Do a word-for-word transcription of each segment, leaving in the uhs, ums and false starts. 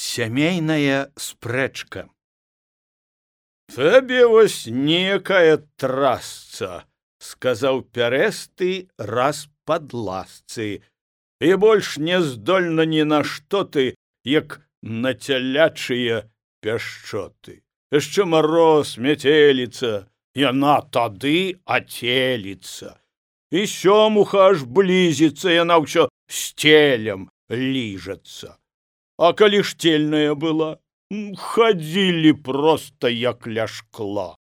Сямейная спрэчка. Табе вось некая трасца, сказаў пярэсты раз пад ласцы, і больш не здольна ні на што ты, як на цялячыя пяшчоты. Яшчэ мароз, мяцеліца, яна тады ацеліцца. І сёмуха аж блізіцца, яна ўсё сцелем ліжацца. А калі штельная была, хадзілі проста як ля шкла.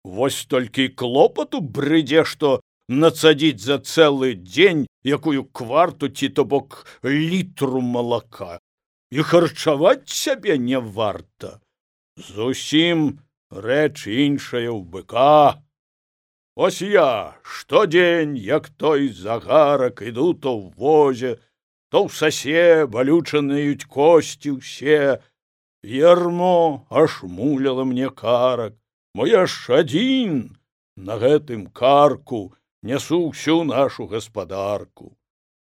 Вось толькі клопату брыдзе, што нацадзіць за цэлы дзень якую кварту ці то бок літру малака. І харчаваць сябе не варта. Зусім рэч іншая ў быка. Ось я штодзень, як той загарак, іду то ў возе, то ў сасе балючанаюць косці ўсе. Ярмо аж муляла мне карак, мо я ж адзін на гэтым карку нясу ўсю нашу гаспадарку.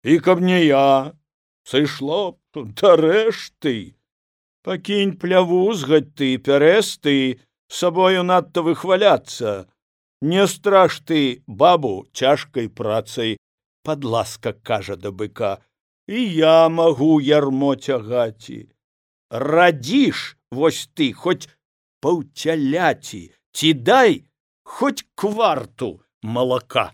І каб не я, сышло б да рэшты. Пакінь плявузгаць ты, пярэсты, сабою надта выхваляцца. Не страш ты бабу цяжкай працай, падласка кажа да быка, і я магу ярмо цягаці. Радзіш вось ты хоць паўцяляці, ці дай хоць кварту малака.